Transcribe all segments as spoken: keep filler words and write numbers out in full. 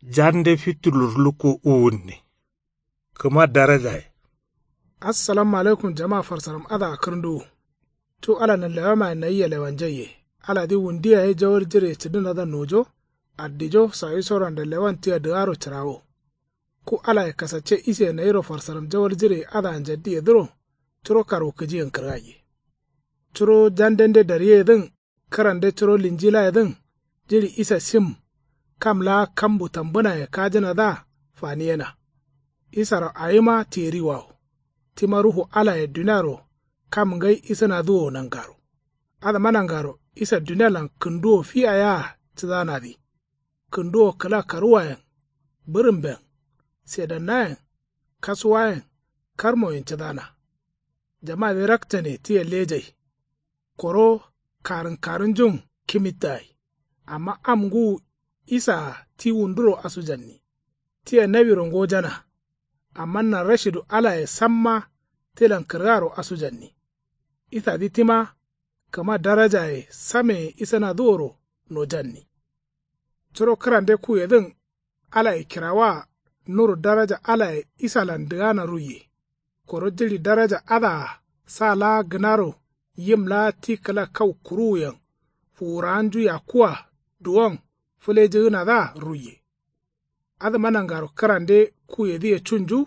Jande fitu lurlukko uwunne. Kǝma darajaye. Assalamu alaikum jama farsaram adǝa kǝrǝnduwu. Cu ala nanlewamayen nayia lewanjaiye. Aladǝ wundu yaye jawal jireye cǝdǝnadǝa nojo. Addijo sawisoro nda lewan tia dǝgaro cǝrawo. Ku alaye kasacce ise nayiro farsaram jawal jireye adǝa njaddiyedǝro. Curo karwukǝjiyen kǝrgaiye. Curo jandende daryeyedǝn. Kǝrande curo linjilayedǝn. Jiɍi isa sim. Kam laa kambu tambǝnaye kajǝnadǝa faniyena. Isaro awima tiyeriwawo. Tima ruhu alaye duniaro kam ngai isǝnadǝ wo nangaro. Adǝma nangaro isa dunialan kǝnduwo fiya yea cǝdanadǝ. Kǝnduwo kǝla karuwayen. Bǝrǝmben. Sedannayen. Kasuwayen. Karmoyen cǝdana. Jamadǝ rakcane tia lejai. Koro karǝnkarǝnjun kimittagai. Amma am ngǝwu isaa ti wunduro asujanni. Tia nawiro ngojana. Amma narashidu alaye samma tilan kǝrgaro asujanni. Isadǝ tima kǝma darajaye sameye isǝnadǝ woro nojanni. Curo kǝrande kuyedǝn alaye kirawaa nuru daraja alaye isalan dǝgana ruiye. Koro jiɍi daraja adǝa sa laa gǝnaro yim laa ti kǝla kau kuruwuyen fuwurawanju yakkuwa duwon fǝlejǝgǝnadǝa ruiye. Adǝma nangaro kǝrande kuyedǝye cunju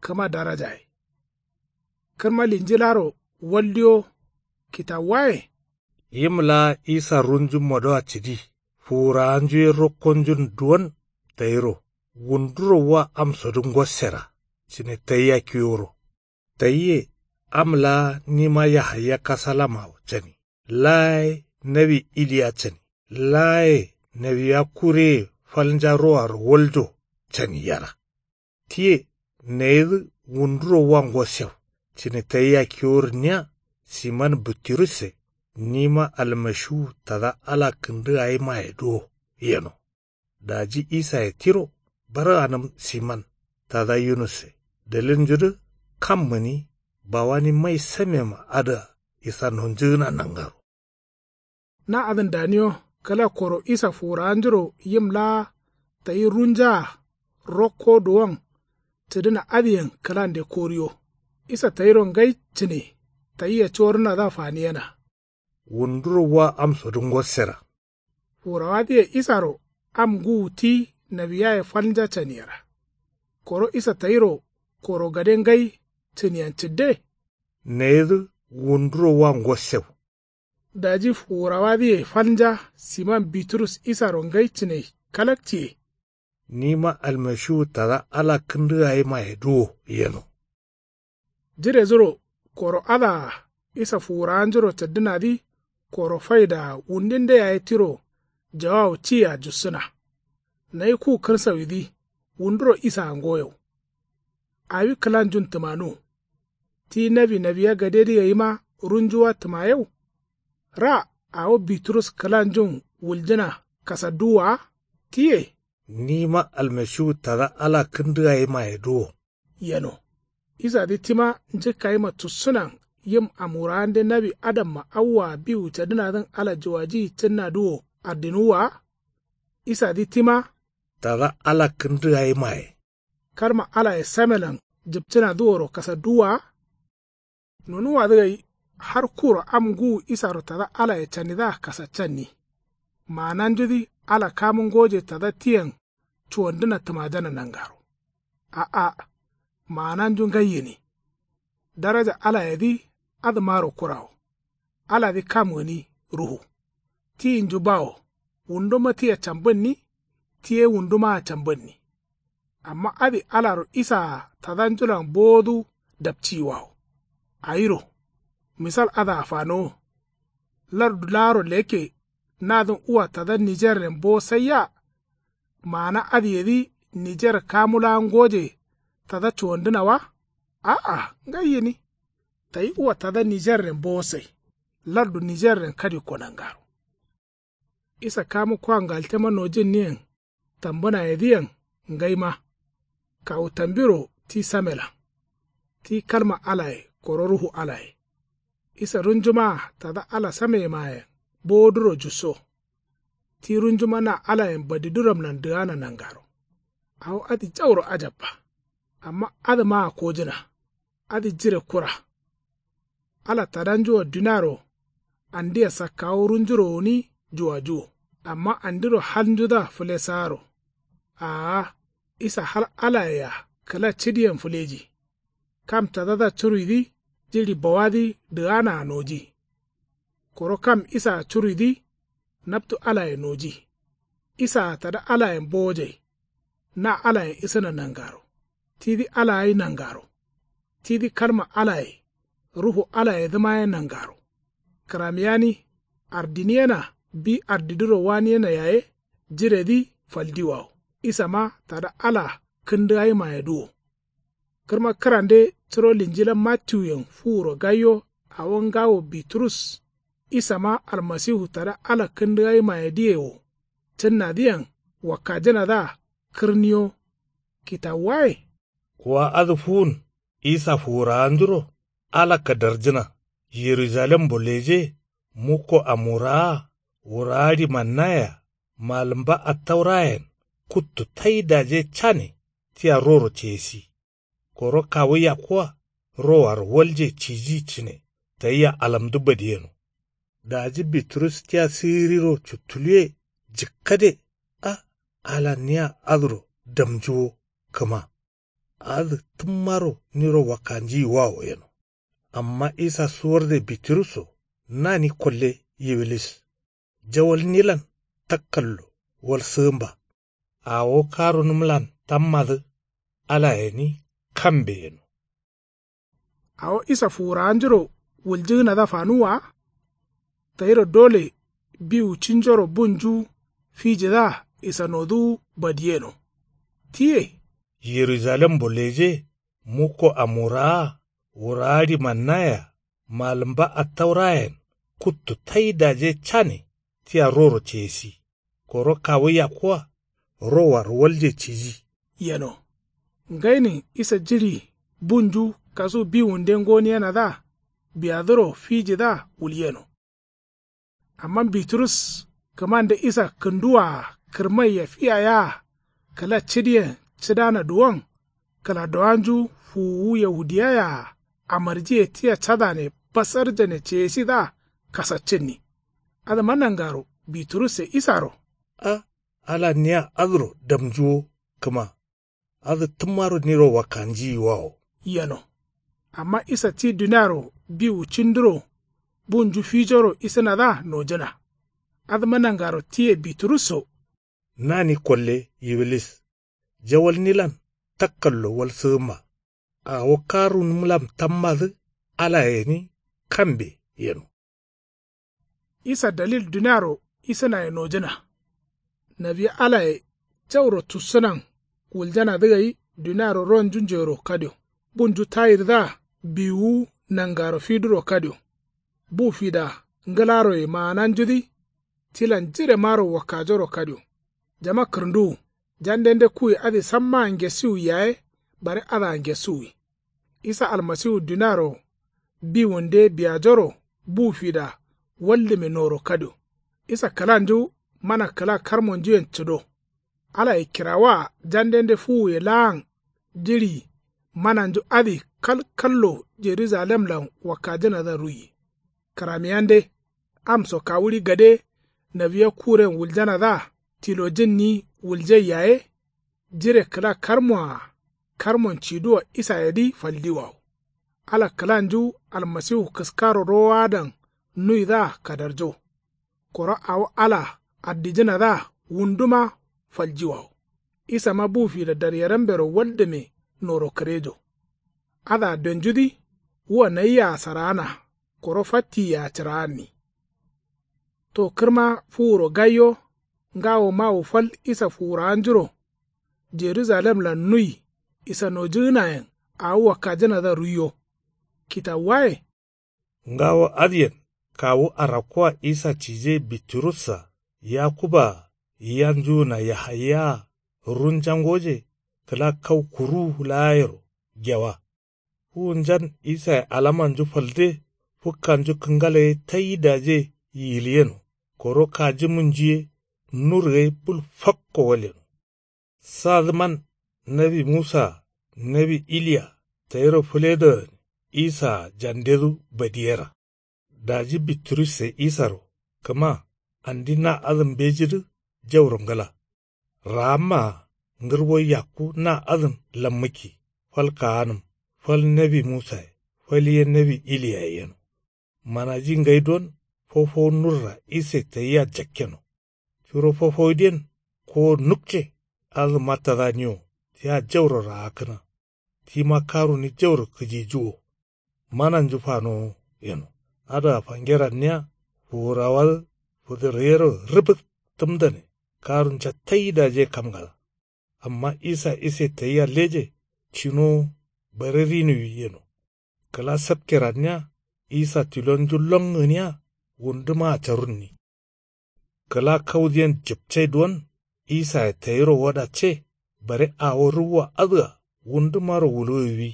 kǝma darajaye. Kǝrma linjilaro waldiyo kitawuwaye. Yim laa isa runju modoa cǝdi fuwurawanju ye rokkonjun duwon tayiro wunduro wa amsodǝ ngossera cǝne tayia kiworo. Tayiye am laa nima yahaya kasalamawo cani. Laa ye nawi iliya cani. Laa ye nawiya kureye falnja roaro waljo cani yera. Tiye nayidǝ wunduro wa ngossew cǝne tayia kiwo rǝnniya siman bǝttirusse nima almashiwu tada ala kǝndǝ gayimayedǝ wo yeno. Daji isaye tiro barganǝm siman tada yunusse dalilnjudǝ kam gǝni bawani mai samema adǝa isa nonjǝgǝna nangaro. Na adǝn daniyo kǝla koro isa fuwurawanjuro yim laa tayi runjaa rokko duwon cǝdǝna adǝyen kǝlande koriyo. Isa tayiro ngai cǝne tayia cuworǝnadǝa faniyena. Wunduro wa amsodǝ ngossera. Fuwurawadǝye isaro am ngǝwu ti nawiyaye falnja caniyera. Koro isa tayiro koro gade ngai cǝniyen cǝdde. Nayidǝ wunduro wa ngossew. Daji fuwurawadǝye falnja siman biturus isaro ngai cǝne kalakciye. Nima almashiwu tada ala kǝndǝ gayimayedǝ wo yeno. Jiredǝro koro adǝa isa fuwurawanjuro cǝddǝnadǝ koro faidaa wundinde yaye tiro jawawu ciya jussǝna. Nayi ku kǝrsawidǝ wunduro isaa ngoyew. Awi kǝlanjun tǝmanu. Ti nawi nawiya gadedǝ gaima runjuwa tǝmayew. Ra awo biturus kǝlanjun wuljǝna kasadduwwa wa. Tiye. Nima almashiwu tada ala kǝndǝ gayimayedǝ wo. Yeno. Isadǝ tima njǝkkayima tussǝnan yim am wurawande nawi adamma awwaa biwu cadǝnadǝn ala juwajiyi cǝnnadǝ wo addinuwwa wa. Isadǝ tima. Tada ala kǝndǝ gayimaye. Kalma alaye samelan jǝpcǝnadǝ woro kasadduwwa wa. Nonuwwadǝ gai har kuro am ngǝwu isaro tada alaye canidǝa kasaccanni. Maananjudǝ ala kamu ngoje tada tiyen cuwandǝna tǝmajana nangaro. A'a. Maananju ngai gǝni. Daraja alayedǝ adǝmaro kurawo. Aladǝ kam gǝni ruhu. Tiyinju bawo. Wunduma tia cambǝnni. Ti ye wundumaa cambǝnni. Amma adǝ alaro isaa tadanjulan bowodǝ dapciyiwawo. Awiro. Misal adǝa fanowo. Lardu laaro lekke nadǝn uwa tada nijerren bowo saiya. Maana adǝyedǝ nijer kamu laa ngoje tada cuwandǝna wa. A'a ngai gǝni. Tayi uwa tada nijerren bowo sai. Lardu nijerren kadikko nangaro. Isa kamu kwa ngaltema nojǝnniyen tambǝnayedǝyen ngaima. Kawu tambiro ti samelan. Ti kalma alaye koro ruhu alaye. Isa runjumaa tada ala sameyemayen bowodǝro jusso. Ti runjuma na alayen badiduramlan dǝgana nangaro. Awo adǝ jauro ajabba. Amma adǝmaa kojǝna. Adǝ jire kura. Ala tadanjua duniaro andia sakkawo runjuro gǝni juwajuwo. Amma andiro halnjudǝa fǝlesaaro. Aa. Isa hal alayea kǝla cidiyen fǝleji. Kam tadadǝa curuidǝ jiɍi bawadǝ dǝganaa noji. Koro kam isaa curuidǝ naptu alaye noji. Isaa tada alayen bowojai. Na alayen isǝna nangaro. Tidǝ ala gai nangaro. Tidǝ kalma alaye ruhu alayedǝma ye nangaro. Kǝramiyani ardiniyena bi ardidǝro waniyena yaye. Jiredǝ faldiwawo isama tada ala kǝndǝgaimayedǝ wo. Kǝrma kǝrande curo linjila mattiwuyen fuwuro gaiyo. Awo ngawo biturus isama almasiwu tada ala kǝndǝgaimayedǝye wo. Cǝnnadǝyen wakkajǝnadǝa kǝrniyo. Kitawuwaye. Wa adǝ fuwun isa fuwurawanjuro ala kadarjǝna. Yerujalembo leje mukko amurawa wurawa ɍimannayea. Malǝmba attaurayen kuttu taidaje cane tia roro ceyesi. Koro kawu yakkuwa rowaro walje ciji cǝne tayia alamdǝ badiyeno. Daji biturus tia siriro cuttuluwe jǝkkade. A ala nia adǝro damjuwo kǝma. Adǝ tǝmmaro niro wakkanjiyiwawo yeno. Amma isa suwarde biturusso nani kolle yiwilis. Jawalnilan takkallo walsǝgǝmba. Awo karunǝmlan tammadǝ ala gǝni kambe yeno. Awo isa fuwurawanjuro wuljǝgǝnadǝa fanuwwa wa. Tayiro dole biwu cinjoro bunju fijidǝa isanodǝwu badiyeno. Tiye. Yerujalembo leje mukko amurawa wurawa ɍimannayea malǝmba attaurayen kuttu taidaje cane tia roro ceyesi. Koro kawu yakkuwa rowaro walje ciji. Yeno. Ngainin isa jiɍi bunju kasu biwunde ngoniyenadǝa biyadǝro fijidǝa wulyeno. Amma biturus kǝmande isa kǝnduwaa kǝrmaiya fiyayaa kǝla cidiyen cǝdana duwon kǝladowanju fuwuwu yahudiyayaa amarjiye tia cadane basarjane ceyesidǝa kasaccǝnni. Adǝma nangaro biturusse isaro. A ala nia adǝro damjuwo kǝma. Adǝ tǝmmaro niro wakkanjiyiwawo. Yeno. Amma isa ti duniaro biwu cinduro bunju fijoro isǝnadǝa nojǝna. Adǝma nangaro tiye biturusso. Nani kolle yiwilis. Jawalnilan takkallo walsǝgǝmma. Awo karunǝmlan tammadǝ alaye gǝni kambe yeno. Isa dalil duniaro isǝnaye nojǝna. Nawi alaye jauro tussǝnan wuljanadǝ gai duniaro ronju njero kadio. Bunju tayirdǝa biwuwu nangaro fiduro kadio. Bu fida ngǝlaroye maananjudǝ tilan jiremaro wakkajoro kadio. Jama kǝrǝnduwu jandende kuwe adǝ sammaa ngesiwwi yaye bare adǝa ngesiwwi. Isa almasiwu duniaro biwunde biyajoro bu fida waldǝme noro kadio. Isa kǝlanju mana kǝla karmonjuyen cǝdo. Alaye kirawaa jandende fuwuye laan jiɍi mananju adǝ kalkallo jerujalemlan wakkajǝnadǝa ruiye. Kǝramiyande am so kawuɍi gade nawiya kuren wuljanadǝa tilojǝnni wuljai yaye. Jire kǝla karmoa karmon ciduwa isayedǝ faldiwawo. Ala kǝlanju almasiwu kǝskaro rowoadan nuwidǝa kadarjo. Koro awo ala addijǝnadǝa wunduma faljiwawo. Isama bu fida daryerambero waldǝme noro kǝrejo. Adǝa donjudǝ wua nayia saraana koro fattiya cǝraanni. To kǝrma fuwuro gaiyo ngawo mawu fal isa fuwurawanjuro jerujalemlan nui isanojǝgǝnayen awo wakkajǝnadǝa ruiyo. Kitawuwaye. Ngawo adǝyen kawu arakkuwa isa cije biturussa yakubbaa yanjugǝna yahayaa runjangoje kǝla kau kuruwu laayero gewa. Fuwunjan isaye alamanju falde fǝkkanju kǝngala ye taidaje yiliyeno koro kajǝmunju ye nur gai bul fakko walyeno. Sadǝman Nawi musaa nawi iliya tayiro fǝledo gǝni isaa jandedu badiyera. Daji biturus ye isaro kǝma andi na adǝn mbejidǝ jauro ngǝla. Raammaa ngǝrbo yakku na adǝn lammǝkki fal kaanǝm fal nawi musaye fal ye nawi iliyaye yeno. Manaji ngai don fofowu nurra ise tayia jakkeno. Curo fofowudǝyen kowo nukce adǝma tadaniwo tia jauro raakkǝna. Tima karuni jauro kǝjijuwo. Mananju fanowo yeno. Adǝa fange ranniya fuwurawadǝ fǝdǝrreyero rǝbǝk tǝmdane. Karunca tai dajiye kamgada. Amma isa ise tayia leje cinowo bare rinuwi yeno. Kǝla sapke ranniya isa tilonju lon gǝniya wundǝmaa carunni. Kǝla kaudǝyen jǝpcai duwon isaye tayiro wadacce bare awo rǝwwa adǝa wundǝmaro wuluwiwi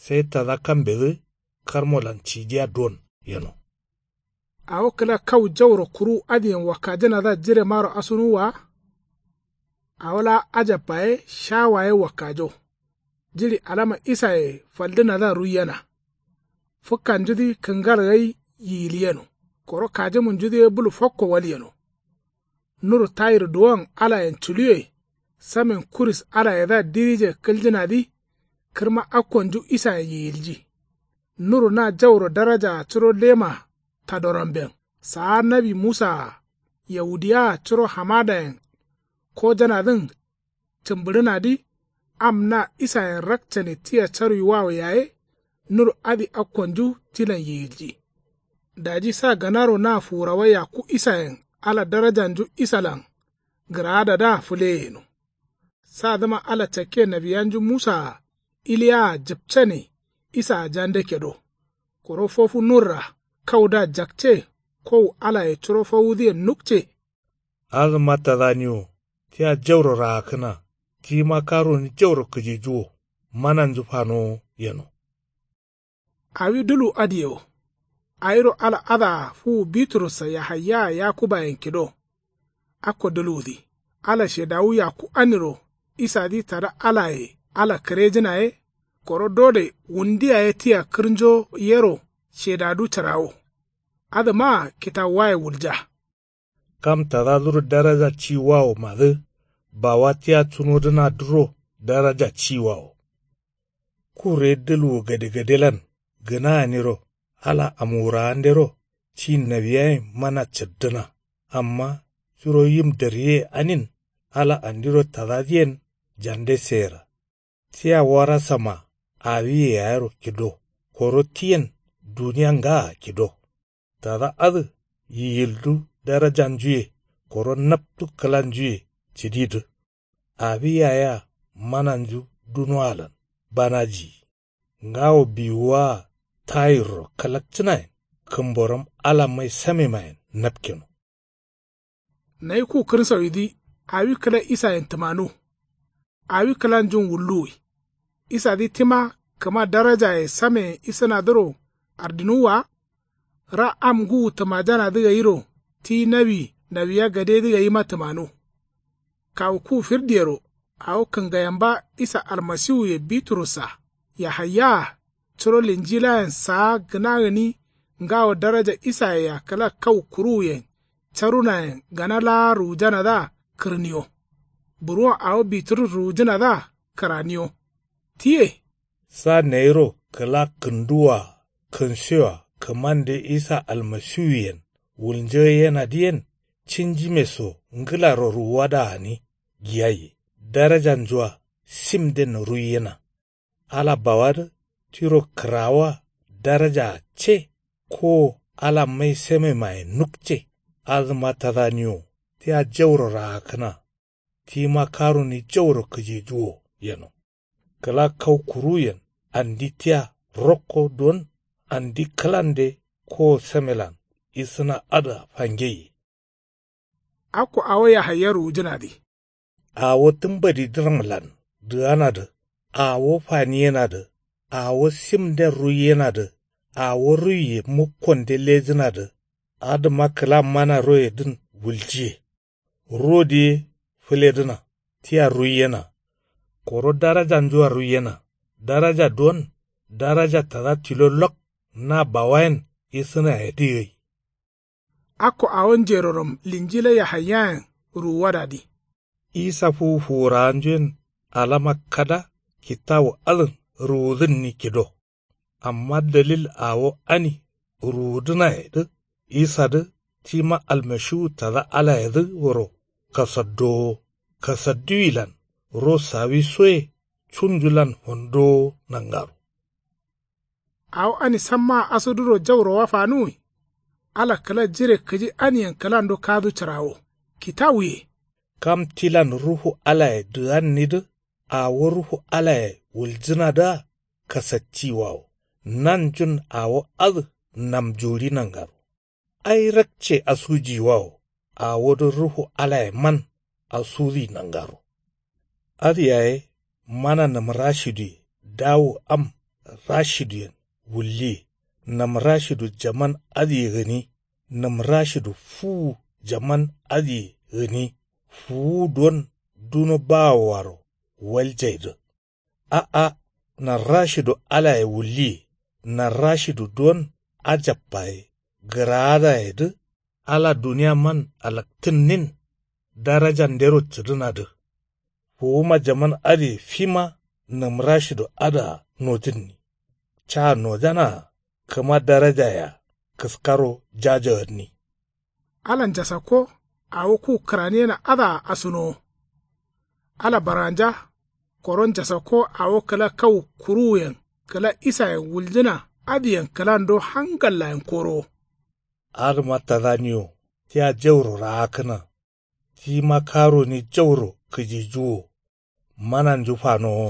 sai tada kambedǝ karmolan cijiya duwon yeno. Awo kǝla kau jauro kuruwu adǝyen wakkajǝnadǝa jiremaro asunuwwa wa. Awo laa ajabba ye shawa ye wakkajo. Jiɍi alama isaye faldǝnadǝa ruiyena. Fǝkkanjudǝ kǝngal gai yiyil yeno. Koro kajǝmunjudǝ ye bulu fakko wal yeno. Nuru tayir duwon alayen culuwe. Samen kuris alayedǝa dirije kǝljǝnadǝ. Kǝrma akkonju isayen yiyilji. Nuru na jauro darajaa curo lema tadoramben saa nawi musaa yawudiyawaa curo hamadayen kojanadǝn cǝmbǝɍǝnadǝ. Am na isayen rakcane tia caruiwawo yaye. Nuru adǝ akkonju tilan yiyilji. Daji sa gǝnaro na fuwurawa yakku isayen ala darajanju isalan gǝraadadǝa fǝleye yeno. Sadǝma ala cakke nawiyanju musaa iliyawaa jǝpcane isaa jande kedo. Koro fofu nurra kaudǝa jakce kowu alaye curo fowudǝyen nukce. Adǝma tadaniwo tia jauro raakkǝna. Tima karuni jauro kǝjijuwo. Mananju fanowo yeno. Awi dulwu adǝye wo. Awiro ala adǝa fuwu biturussa yahayyaa yakubayen kido. Akko dulwudǝ ala shedawu yakku aniro isadǝ tada alaye ala kǝrejǝna ye. Koro dole wundu yaye tia kǝrnjo yero shedadu cǝrawo. Adǝmaa kitawuwaye wulja. Kam tadaduro daraja ciwawomadǝ bawa tia cunodǝnadǝro daraja ciwawo. Kurre dǝlwu gadegadelan gǝna aniro ala amwurawandero ci nawiyayen mana caddǝna. Amma curo yim darriye anin ala andiro tadadǝyen jande seyera. Tia warasama awiye yayero kido. Koro tiyen duniya ngaa kido. Tada adǝ yiyildu darajanjuye koro naptu kǝlanjuye cǝdidǝ. Awi yayea mananju dunoalan banajiyi. Ngawo biwuwaa tayirro kalakcǝnayen kǝmboram ala mai samemayen napkeno. Nayi ku kǝrsawidǝ awi kǝla isayen tǝmanu. Awi kǝlanjun wulluwi. Isadǝ tima kǝma darajaye sameyen isǝnadǝro ardǝnuwwa wa. Ra am ngǝwu tǝmajanadǝ gairo ti nawi nawiya gadedǝ gaima tǝmanu. Kawu ku firdiyero awo kǝngayamba isa almasiwuye biturussa yahayyaa curo linjilayen saa gǝna gǝni ngawo daraja isayea kǝla kau kuruwuyen carunayen gana laa ruwujanadǝa kǝrniyo. Buruwon awo biturus ruwujǝnadǝa kǝraniyo. Tiye. Sa nayiro kǝla kǝnduwwa kǝnsiyoa kǝmande isa almasiwuyen wulnjoyenadǝyen cinjime so ngǝlaro ruwuwada gǝni giyaiye. Darajanjua simden ruiyena. Ala bawadǝ tiro kǝrawoa darajaa ce. Kowo ala mai samemaye nukce. Adǝma tadaniwo tia jauro raakkǝna. Tima karuni jauro kǝjijuwo yeno. Kǝla kau kuruyen andi tia rokko don andi kǝlande kowo samelan isǝna adǝa fangeiye. Akko awo yahaya ruwujǝnadǝ. Awo tǝmbadi dǝramlan dǝganadǝ. Awo faniyenadǝ. Awo simden ruiyenadǝ. Awo ruiye mukkonde lejǝnadǝ. Adǝma kǝla mana royedǝn wuljiye. Rodǝ ye fǝledǝna tia ruiyena. Koro darajanjua ruiyena. Daraja duwon daraja tada tilo lok na bawayen isǝnayedǝ gai. Akko awo njerorom linjila yahayayen ruwuwadadǝ. Isa fuwu fuwurawanjuyen alama kada kitawu adǝn ruwudǝnni kido. Amma dalil awo ani ruwudǝnayedǝ isadǝ tima almashiwu tada alayedǝ wuro kasaddowo. Kasadduwilan ro sawisoye cunjulan fondowo nangaro. Awo ani sammaa asuduro jauro wa fanuwi. Ala kǝla jire kǝji aniyen kǝlando kadu cǝrawo kitawuye. Kam tilan ruhu alaye dǝgannidǝ awo ruhu alaye wuljǝnadǝa kasacciyiwawo. Nanjun awo adǝ namjuri nangaro. Ai rakce asujiyiwawo awodǝ ruhu alayeman asudi nangaro. Adǝ yaye mana nǝmrashiduye dawu am rashiduyen wulliye. Nǝmrashidu jaman adǝye gǝni. Nǝmrashidu fuwu jaman adǝye gǝni. Fuwu duwon duno bawoaro waljaidǝ. A'a narrashidu alaye wulliye. Narrashidu duwon ajabbaye gǝraadayedǝ. Ala duniyaman alaktǝnnin darajandero cǝdǝnadǝ. Fuwuma jaman adǝye fima nǝmrashidu adǝa nojǝnni. Ca nojanaa kǝma darajayea kǝskaro jajagǝnni. Ala njasakko awo ku kǝraniyena adǝa asunowo. Ala barganja koro njasakko awo kǝla kau kuruwuyen kǝla isayen wuljǝna adǝyen kǝlando hangallayen korowo. Adǝma tadaniwo tia jauro raakkǝna. Tima karoni jauro kǝjijuwo. Mananju fanowo.